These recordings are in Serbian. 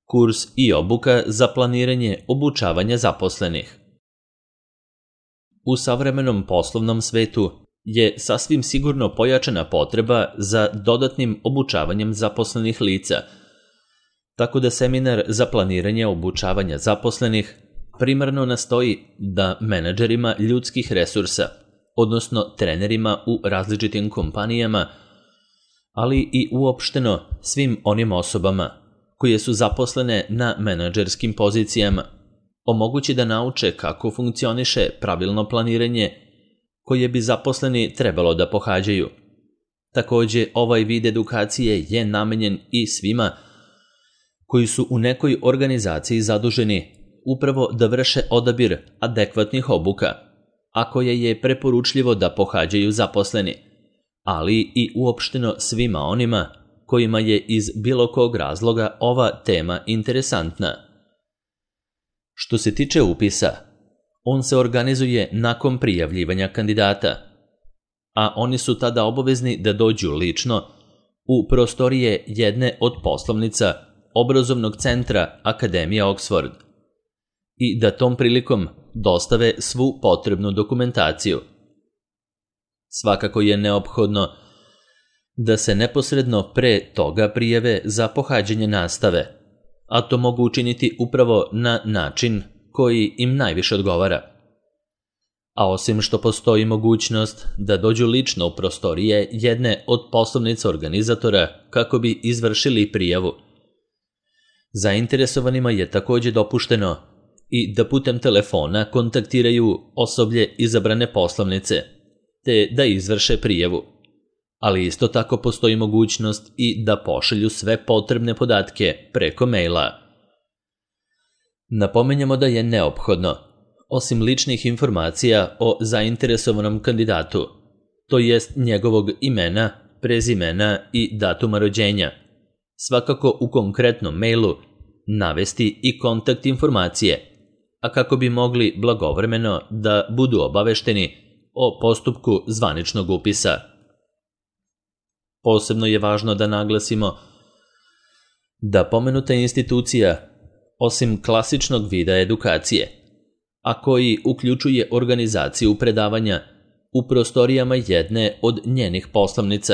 kurs i obuka za planiranje obučavanja zaposlenih. U savremenom poslovnom svetu je sasvim sigurno pojačana potreba za dodatnim obučavanjem zaposlenih lica, tako da seminar za planiranje obučavanja zaposlenih primarno nastoji da menadžerima ljudskih resursa, odnosno trenerima u različitim kompanijama, ali i uopšteno svim onim osobama koje su zaposlene na menadžerskim pozicijama, omogući da nauče kako funkcioniše pravilno planiranje koje bi zaposleni trebalo da pohađaju. Takođe, ovaj vid edukacije je namenjen i svima koji su u nekoj organizaciji zaduženi upravo da vrše odabir adekvatnih obuka, a koje je preporučljivo da pohađaju zaposleni, ali i uopšteno svima onima kojima je iz bilo kog razloga ova tema interesantna. Što se tiče upisa, on se organizuje nakon prijavljivanja kandidata, a oni su tada obavezni da dođu lično u prostorije jedne od poslovnica obrazovnog centra Akademije Oxford i da tom prilikom dostave svu potrebnu dokumentaciju. Svakako je neophodno da se neposredno pre toga prijave za pohađanje nastave, a to mogu učiniti upravo na način koji im najviše odgovara. A osim što postoji mogućnost da dođu lično u prostorije jedne od poslovnica organizatora kako bi izvršili prijavu, zainteresovanima je takođe dopušteno i da putem telefona kontaktiraju osoblje izabrane poslovnice, te da izvrše prijavu. Ali isto tako postoji mogućnost i da pošalju sve potrebne podatke preko maila. Napominjemo da je neophodno, osim ličnih informacija o zainteresovanom kandidatu, to jest njegovog imena, prezimena i datuma rođenja, svakako u konkretnom mailu navesti i kontakt informacije, a kako bi mogli blagovremeno da budu obavešteni o postupku zvaničnog upisa. Posebno je važno da naglasimo da pomenuta institucija, osim klasičnog vida edukacije, a koji uključuje organizaciju predavanja u prostorijama jedne od njenih poslovnica,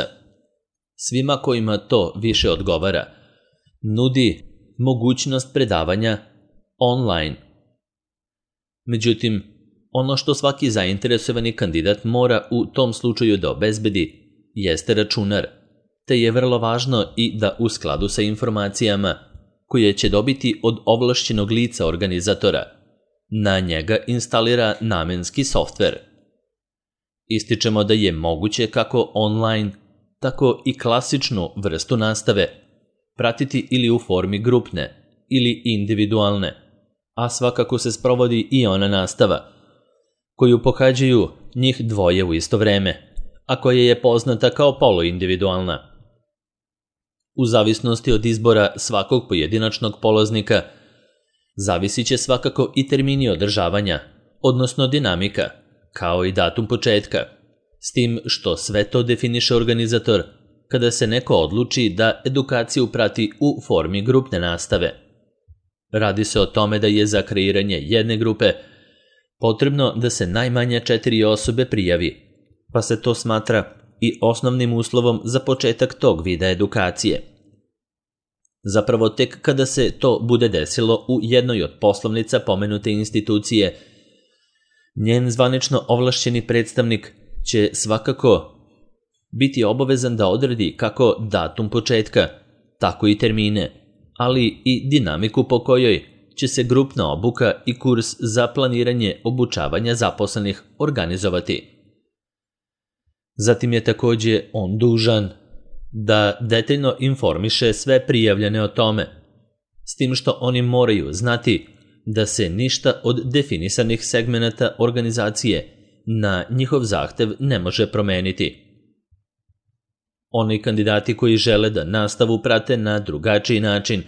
svima kojima to više odgovara, nudi mogućnost predavanja online. Međutim, ono što svaki zainteresovani kandidat mora u tom slučaju da obezbedi jeste računar, te je vrlo važno i da u skladu sa informacijama koje će dobiti od ovlašćenog lica organizatora, na njega instalira namenski softver. Ističemo da je moguće kako online, tako i klasičnu vrstu nastave pratiti ili u formi grupne ili individualne, a svakako se sprovodi i ona nastava koju pohađaju njih dvoje u isto vreme, a koja je poznata kao poluindividualna. U zavisnosti od izbora svakog pojedinačnog polaznika, zavisit će svakako i termini održavanja, odnosno dinamika, kao i datum početka, s tim što sve to definiše organizator kada se neko odluči da edukaciju prati u formi grupne nastave. Radi se o tome da je za kreiranje jedne grupe potrebno da se najmanje 4 osobe prijavi, pa se to smatra i osnovnim uslovom za početak tog vida edukacije. Zapravo tek kada se to bude desilo u jednoj od poslovnica pomenute institucije, njen zvanično ovlašćeni predstavnik će svakako biti obavezan da odredi kako datum početka, tako i termine, ali i dinamiku po kojoj će se grupna obuka i kurs za planiranje obučavanja zaposlenih organizovati. Zatim je takođe on dužan da detaljno informiše sve prijavljene o tome, s tim što oni moraju znati da se ništa od definisanih segmenata organizacije na njihov zahtev ne može promeniti. Oni kandidati koji žele da nastavu prate na drugačiji način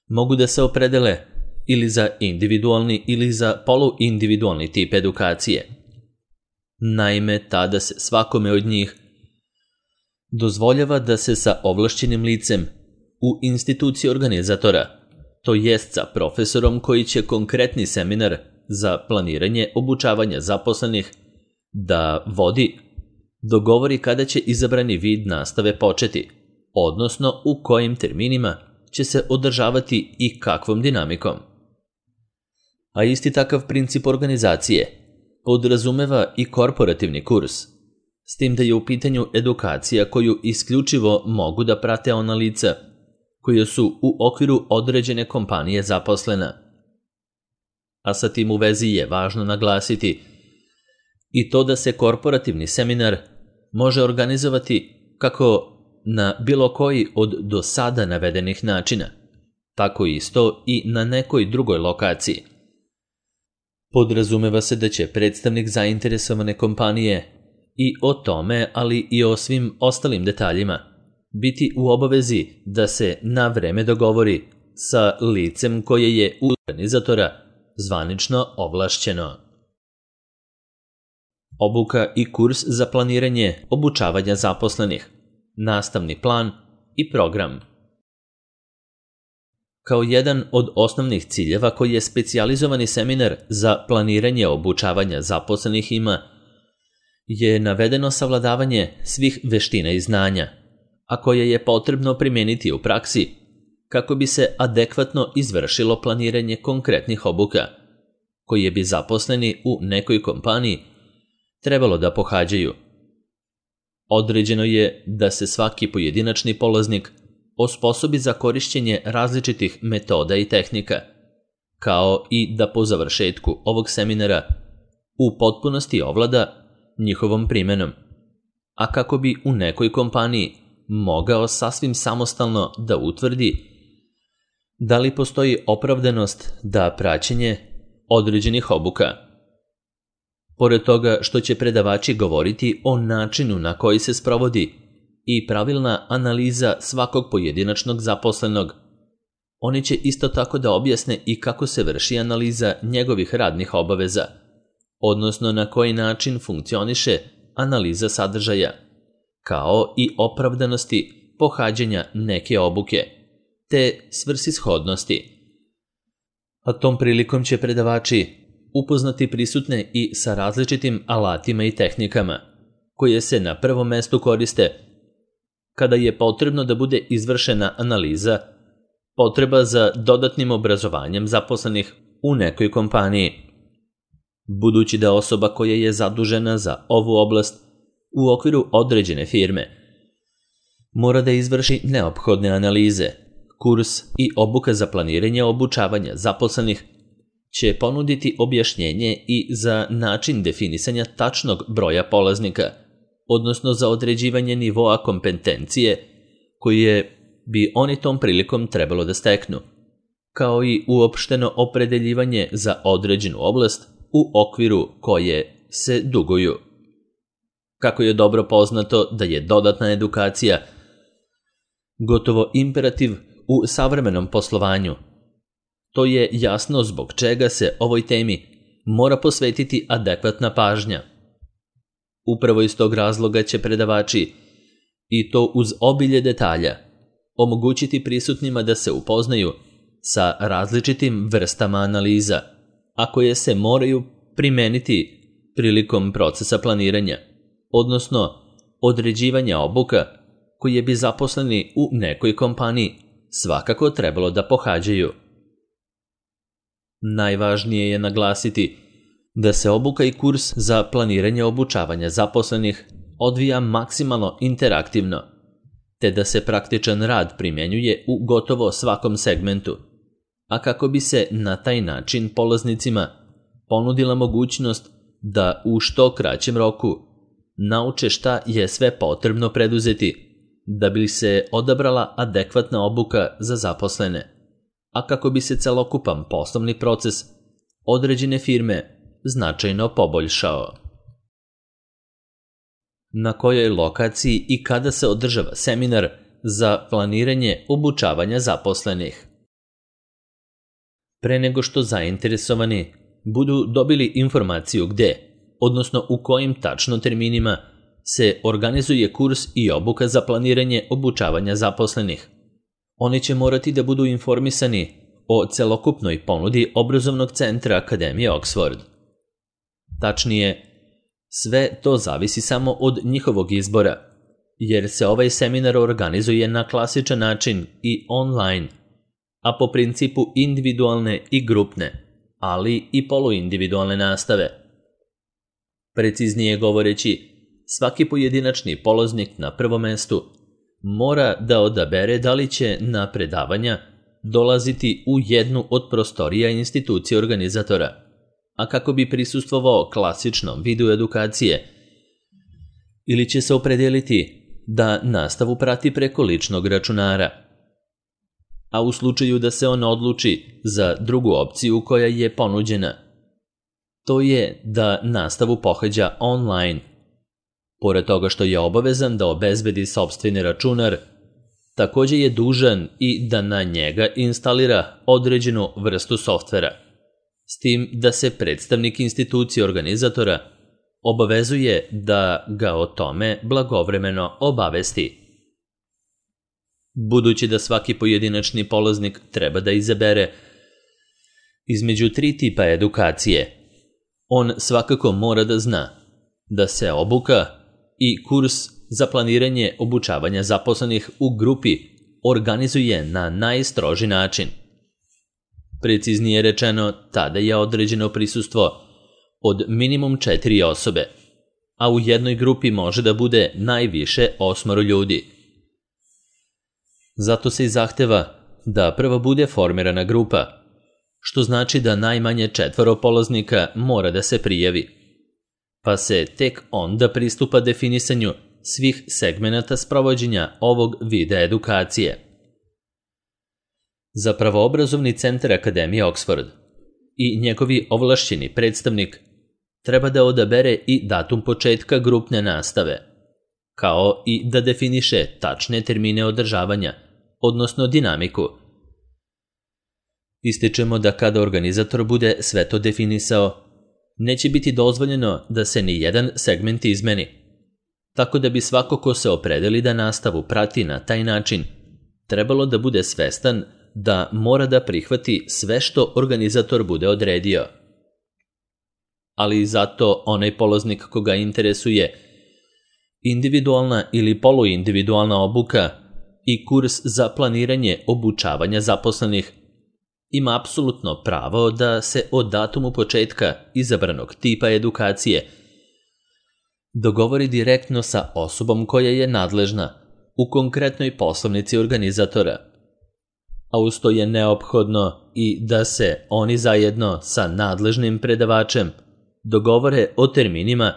mogu da se opredele ili za individualni ili za poluindividualni tip edukacije. Naime, tada se svakome od njih dozvoljava da se sa ovlašćenim licem u instituciji organizatora, to jest sa profesorom koji će konkretni seminar za planiranje obučavanja zaposlenih da vodi, dogovori kada će izabrani vid nastave početi, odnosno u kojim terminima će se održavati i kakvom dinamikom. A isti takav princip organizacije podrazumeva i korporativni kurs, s tim da je u pitanju edukacija koju isključivo mogu da prate ona lica koja su u okviru određene kompanije zaposlena. A sa tim u vezi je važno naglasiti i to da se korporativni seminar može organizovati kako na bilo koji od do sada navedenih načina, tako isto i na nekoj drugoj lokaciji. Podrazumeva se da će predstavnik zainteresovane kompanije i o tome, ali i o svim ostalim detaljima, biti u obavezi da se na vreme dogovori sa licem koje je u organizatora zvanično ovlašćeno. Obuka i kurs za planiranje obučavanja zaposlenih, nastavni plan i program. Kao jedan od osnovnih ciljeva koji je specijalizovani seminar za planiranje obučavanja zaposlenih ima je navedeno savladavanje svih veština i znanja, a koje je potrebno primijeniti u praksi kako bi se adekvatno izvršilo planiranje konkretnih obuka, koje bi zaposleni u nekoj kompaniji trebalo da pohađaju. Određeno je da se svaki pojedinačni polaznik osposobi za korišćenje različitih metoda i tehnika, kao i da po završetku ovog seminara u potpunosti ovlada njihovom primenom, a kako bi u nekoj kompaniji mogao sasvim samostalno da utvrdi da li postoji opravdanost da praćenje određenih obuka. Pored toga što će predavači govoriti o načinu na koji se sprovodi i pravilna analiza svakog pojedinačnog zaposlenog, oni će isto tako da objasne i kako se vrši analiza njegovih radnih obaveza, odnosno na koji način funkcioniše analiza sadržaja, kao i opravdanosti pohađanja neke obuke, te svrsishodnosti. A tom prilikom će predavači upoznati prisutne i sa različitim alatima i tehnikama, koje se na prvom mestu koriste kada je potrebno da bude izvršena analiza potreba za dodatnim obrazovanjem zaposlenih u nekoj kompaniji. Budući da osoba koja je zadužena za ovu oblast u okviru određene firme mora da izvrši neophodne analize, kurs i obuka za planiranje obučavanja zaposlenih će ponuditi objašnjenje i za način definisanja tačnog broja polaznika, odnosno za određivanje nivoa kompetencije koje bi oni tom prilikom trebalo da steknu, kao i uopšteno opredeljivanje za određenu oblast u okviru koje se duguju. Kako je dobro poznato da je dodatna edukacija gotovo imperativ u savremenom poslovanju, to je jasno zbog čega se ovoj temi mora posvetiti adekvatna pažnja. Upravo iz tog razloga će predavači, i to uz obilje detalja, omogućiti prisutnima da se upoznaju sa različitim vrstama analiza, a koje se moraju primeniti prilikom procesa planiranja, odnosno određivanja obuka koje bi zaposleni u nekoj kompaniji svakako trebalo da pohađaju. Najvažnije je naglasiti da se obuka i kurs za planiranje obučavanja zaposlenih odvija maksimalno interaktivno, te da se praktičan rad primjenjuje u gotovo svakom segmentu, a kako bi se na taj način polaznicima ponudila mogućnost da u što kraćem roku nauče šta je sve potrebno preduzeti da bi se odabrala adekvatna obuka za zaposlene, a kako bi se celokupan poslovni proces određene firme značajno poboljšao. Na kojoj lokaciji i kada se održava seminar za planiranje obučavanja zaposlenih? Pre nego što zainteresovani budu dobili informaciju gde, odnosno u kojim tačno terminima se organizuje kurs i obuka za planiranje obučavanja zaposlenih, Oni će morati da budu informisani o celokupnoj ponudi obrazovnog centra Akademije Oxford. Tačnije, sve to zavisi samo od njihovog izbora, jer se ovaj seminar organizuje na klasičan način i online, a po principu individualne i grupne, ali i poluindividualne nastave. Preciznije govoreći, svaki pojedinačni polaznik na prvom mestu mora da odabere da li će na predavanja dolaziti u jednu od prostorija institucije organizatora, a kako bi prisustvovao klasičnom vidu edukacije, ili će se opredeliti da nastavu prati preko ličnog računara. A u slučaju da se on odluči za drugu opciju koja je ponuđena, to je da nastavu pohađa online. Pored toga što je obavezan da obezbedi sopstveni računar, također je dužan i da na njega instalira određenu vrstu softvera, s tim da se predstavnik institucije organizatora obavezuje da ga o tome blagovremeno obavesti. Budući da svaki pojedinačni polaznik treba da izabere između 3 tipa edukacije, on svakako mora da zna da se obuka i kurs za planiranje obučavanja zaposlenih u grupi organizuje na najstroži način. Preciznije rečeno, tada je određeno prisustvo od minimum 4 osobe, a u jednoj grupi može da bude najviše 8 ljudi. Zato se i zahteva da prvo bude formirana grupa, što znači da najmanje 4 polaznika mora da se prijavi, pa se tek onda pristupa definisanju svih segmenata sprovođenja ovog vida edukacije. Za pravoobrazovni centar Akademije Oxford i njegovi ovlašćeni predstavnik treba da odabere i datum početka grupne nastave, kao i da definiše tačne termine održavanja, odnosno dinamiku. Ističemo da kada organizator bude sve to definisao, neće biti dozvoljeno da se ni jedan segment izmeni, tako da bi svako ko se opredeli da nastavu prati na taj način, trebalo da bude svestan da mora da prihvati sve što organizator bude odredio. Ali i zato onaj polaznik koga interesuje individualna ili poluindividualna obuka i kurs za planiranje obučavanja zaposlenih ima apsolutno pravo da se o datumu početka izabranog tipa edukacije dogovori direktno sa osobom koja je nadležna u konkretnoj poslovnici organizatora, a uz to je neophodno i da se oni zajedno sa nadležnim predavačem dogovore o terminima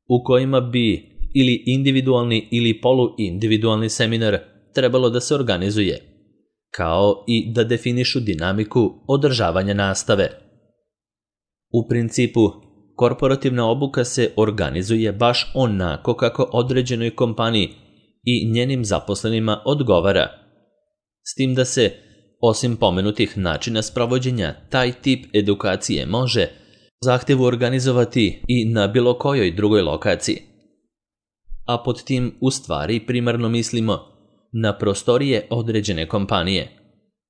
u kojima bi ili individualni ili poluindividualni seminar trebalo da se organizuje, kao i da definišu dinamiku održavanja nastave. U principu, korporativna obuka se organizuje baš onako kako određenoj kompaniji i njenim zaposlenima odgovara, s tim da se, osim pomenutih načina sprovođenja, taj tip edukacije može zahtjevu organizovati i na bilo kojoj drugoj lokaciji. A pod tim u stvari primarno mislimo na prostorije određene kompanije,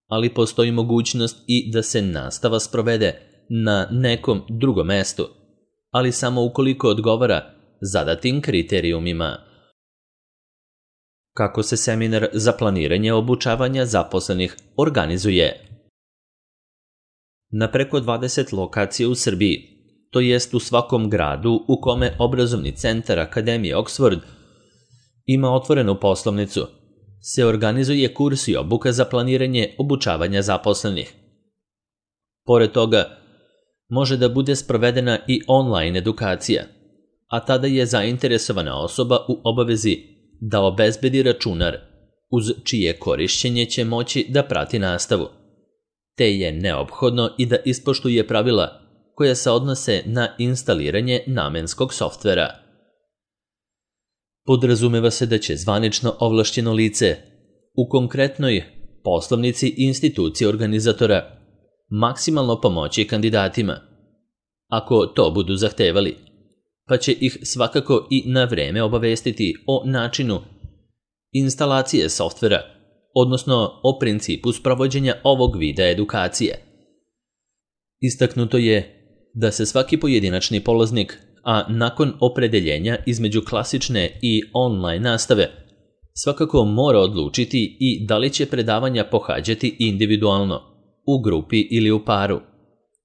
ali postoji mogućnost i da se nastava sprovede na nekom drugom mestu, ali samo ukoliko odgovara zadatim kriterijumima. Kako se seminar za planiranje obučavanja zaposlenih organizuje? Na preko 20 lokacija u Srbiji, to jest u svakom gradu u kome obrazovni centar Akademije Oxford ima otvorenu poslovnicu, se organizuje kurs i obuka za planiranje obučavanja zaposlenih. Pored toga, može da bude sprovedena i online edukacija, a tada je zainteresovana osoba u obavezi da obezbedi računar, uz čije korišćenje će moći da prati nastavu, te je neophodno i da ispoštuje pravila koja se odnose na instaliranje namenskog softvera. Podrazumeva se da će zvanično ovlašćeno lice u konkretnoj poslovnici institucije organizatora maksimalno pomoći kandidatima, ako to budu zahtevali, pa će ih svakako i na vreme obavestiti o načinu instalacije softvera, odnosno o principu sprovođenja ovog vida edukacije. Istaknuto je da se svaki pojedinačni polaznik, a nakon opredeljenja između klasične i online nastave, svakako mora odlučiti i da li će predavanja pohađati individualno, u grupi ili u paru,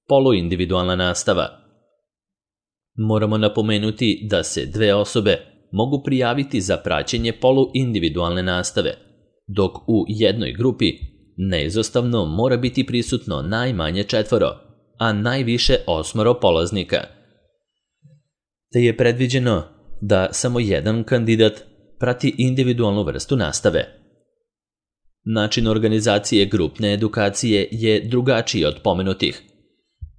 poluindividualna nastava. Moramo napomenuti da se 2 osobe mogu prijaviti za praćenje poluindividualne nastave, dok u jednoj grupi neizostavno mora biti prisutno najmanje 4, a najviše 8 polaznika. Te je predviđeno da samo jedan kandidat prati individualnu vrstu nastave. Način organizacije grupne edukacije je drugačiji od pomenutih,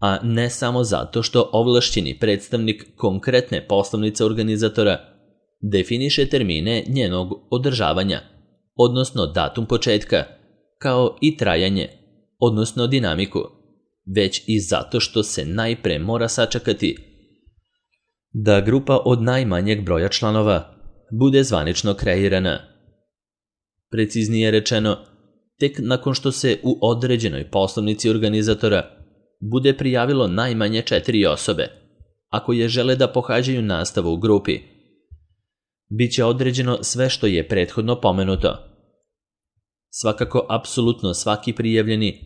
a ne samo zato što ovlašćeni predstavnik konkretne poslovnice organizatora definiše termine njenog održavanja, odnosno datum početka, kao i trajanje, odnosno dinamiku, već i zato što se najpre mora sačekati da grupa od najmanjeg broja članova bude zvanično kreirana. Preciznije rečeno, tek nakon što se u određenoj poslovnici organizatora bude prijavilo najmanje 4 osobe, ako je žele da pohađaju nastavu u grupi, bit će određeno sve što je prethodno pomenuto. Svakako, apsolutno svaki prijavljeni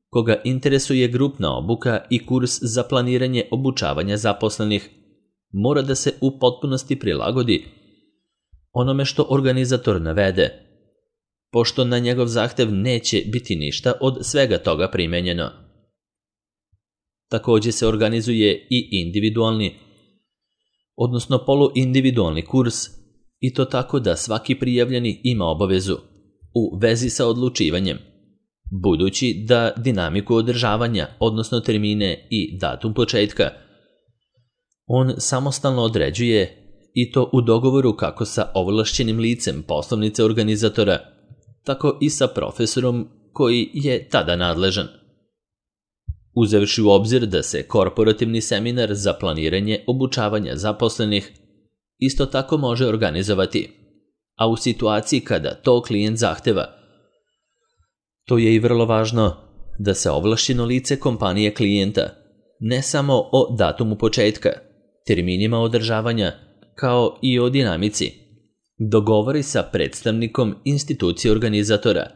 koga interesuje grupna obuka i kurs za planiranje obučavanja zaposlenih mora da se u potpunosti prilagodi onome što organizator navede, pošto na njegov zahtev neće biti ništa od svega toga primenjeno. Također se organizuje i individualni, odnosno poluindividualni kurs, i to tako da svaki prijavljeni ima obavezu u vezi sa odlučivanjem, budući da dinamiku održavanja, odnosno termine i datum početka, on samostalno određuje, i to u dogovoru kako sa ovlašćenim licem poslovnice organizatora, tako i sa profesorom koji je tada nadležan. Uzevši u obzir da se korporativni seminar za planiranje obučavanja zaposlenih isto tako može organizovati, a u situaciji kada to klijent zahteva. To je i vrlo važno da se ovlašćeno lice kompanije klijenta, ne samo o datumu početka, terminima održavanja, kao i o dinamici, dogovori sa predstavnikom institucije organizatora,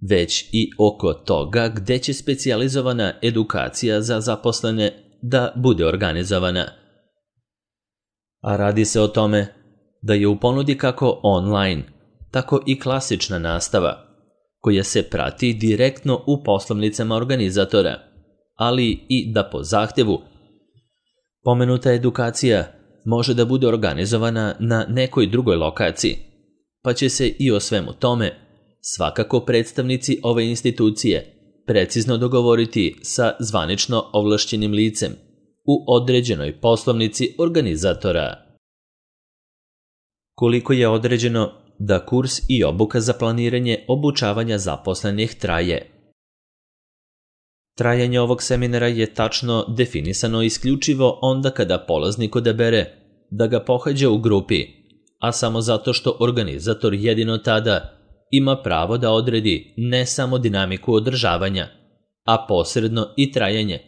već i oko toga gde će specijalizovana edukacija za zaposlene da bude organizovana. A radi se o tome da je u ponudi kako online, tako i klasična nastava, koja se prati direktno u poslovnicama organizatora, ali i da po zahtevu pomenuta edukacija može da bude organizovana na nekoj drugoj lokaciji, pa će se i o svemu tome svakako predstavnici ove institucije precizno dogovoriti sa zvanično ovlašćenim licem u određenoj poslovnici organizatora. Koliko je određeno da kurs i obuka za planiranje obučavanja zaposlenih traje? Trajanje ovog seminara je tačno definisano isključivo onda kada polaznik odabere da ga pohađa u grupi, a samo zato što organizator jedino tada ima pravo da odredi ne samo dinamiku održavanja, a posredno i trajanje,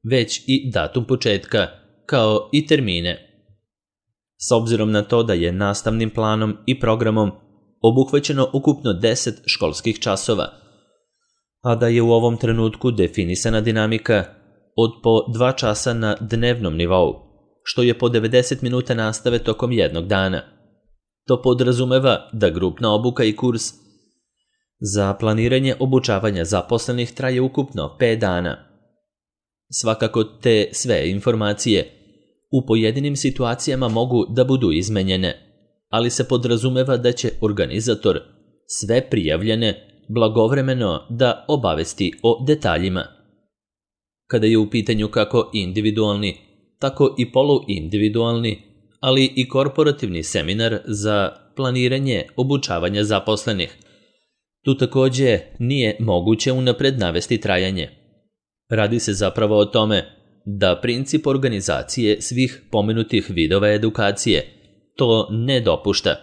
već i datum početka, kao i termine. S obzirom na to da je nastavnim planom i programom obuhvaćeno ukupno 10 školskih časova, a da je u ovom trenutku definisana dinamika od po 2 časa na dnevnom nivou, što je po 90 minuta nastave tokom jednog dana. To podrazumeva da grupna obuka i kurs za planiranje obučavanja zaposlenih traje ukupno 5 dana. Svakako te sve informacije u pojedinim situacijama mogu da budu izmenjene, ali se podrazumeva da će organizator sve prijavljene blagovremeno da obavesti o detaljima. Kada je u pitanju kako individualni, tako i poluindividualni, ali i korporativni seminar za planiranje obučavanja zaposlenih, tu također nije moguće unapred navesti trajanje. Radi se zapravo o tome da princip organizacije svih pomenutih vidova edukacije to ne dopušta,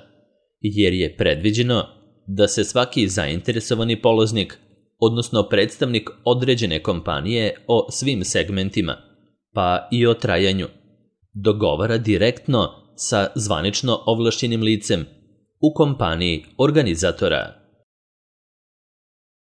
jer je predviđeno da se svaki zainteresovani polaznik, odnosno predstavnik određene kompanije o svim segmentima, pa i o trajanju, dogovara direktno sa zvanično ovlašćenim licem u kompaniji organizatora.